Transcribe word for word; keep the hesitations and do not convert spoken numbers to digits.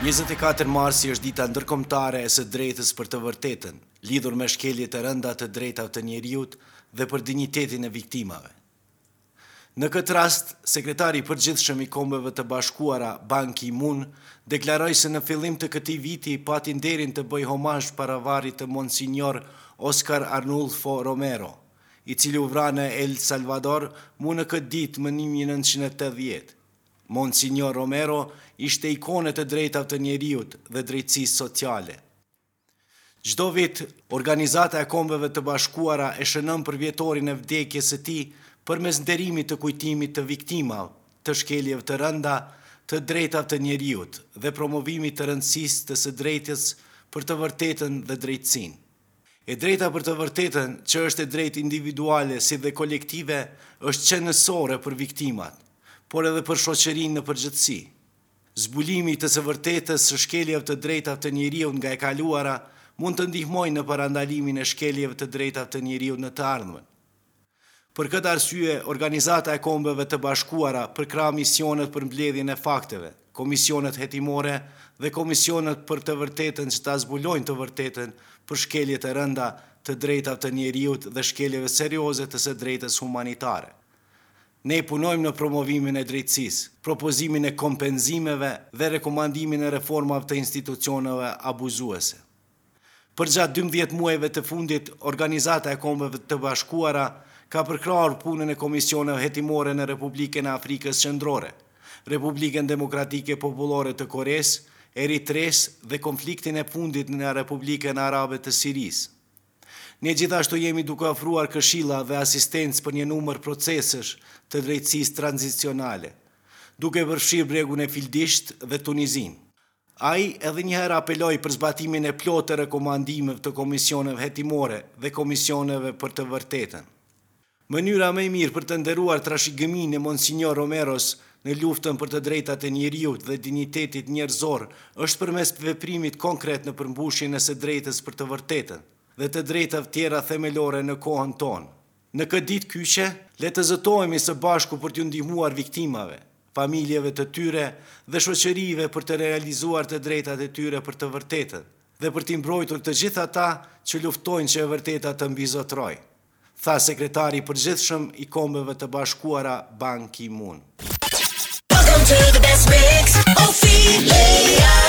Njëzet e katër marsi është dita ndërkombëtare e së drejtës për të vërtetën, lidhur me shkeljet e rënda të drejtave të njeriut dhe për dinjitetin e viktimave. Në këtë rast, sekretari i përgjithshëm i Kombeve të Bashkuara, Ban Ki-moon, deklaroi se në fillim të këtij viti pati nderin të bëjë homazh para varrit të Monsignor Oscar Arnulfo Romero, i cili u vra në El Salvador mu në këtë ditë më një mijë e nëntëqind e tetëdhjetë. Monsignor Romero ishte ikonë e të drejtave të njeriut dhe drejtësisë sociale. Çdo vit, Organizata e Kombeve të Bashkuara e shënon përvjetorin e vdekjes së tij përmes nderimit të kujtimit të viktimave të shkeljeve të rënda të drejtave të njeriut dhe promovimit të rëndësisë të së drejtës për të vërtetën dhe drejtësinë. E drejta për të vërtetën, që është e drejtë individuale si dhe kolektive, është qenësore për viktimat, por edhe për shoqërinë në përgjithësi. Zbulimi të së vërtetës së shkeljeve të drejtave të njeriut nga e kaluara mund të ndihmojë në parandalimin e shkeljeve të drejtave të njeriut në të ardhmen. Për këtë arsye, Organizata e Kombeve të Bashkuara përkrah misionet për mbledhjen e fakteve, komisionet hetimore dhe komisionet për të vërtetën që ta zbulojnë të vërtetën për shkeljet e rënda të drejtave të njeriut dhe shkeljeve serioze të së drejtës humanitare. Ne punojmë në promovimin e drejtësisë, propozimin e kompenzimeve dhe rekomandimin e reformave të institucioneve abuzuese. Përgjatë dymbëdhjetë muajve të fundit, Organizata e Kombeve të Bashkuara ka përkrahur punën e komisioneve hetimore në Republikën e Afrikës Qendrore, Republikën Demokratike Popullore të Koresë, Eritresë dhe konfliktin e fundit në Republikën Arabe të Sirisë. Ne gjithashtu jemi duke ofruar këshilla dhe asistencë për një numër procesesh të drejtësisë tranzicionale, duke përfshirë bregun e Fildisht dhe Tunizinë. Ai edhe një herë apeloi për zbatimin e plotë të rekomandimeve të komisioneve hetimore dhe komisioneve për të vërtetën. Mënyra më e mirë për të nderuar trashëgiminë e Monsignor Romeros në luftën për të drejtat e njeriut dhe dinjitetit njerëzor është përmes veprimit konkret në përmbushjen e së drejtës për të vërtetën dhe të drejtave tjera themelore në kohën tonë. Në këtë ditë kyçe, le të zotohemi së bashku për t'ju ndihmuar viktimave, familjeve të tyre dhe shoqërive për të realizuar të drejtat e tyre për të vërtetën dhe për t'i mbrojtur të gjithë ata që luftojnë që e vërteta të mbizotrojë, tha sekretari i përgjithshëm i Kombeve të Bashkuara Ban Ki-moon. Welcome to the best mix, Ophelia.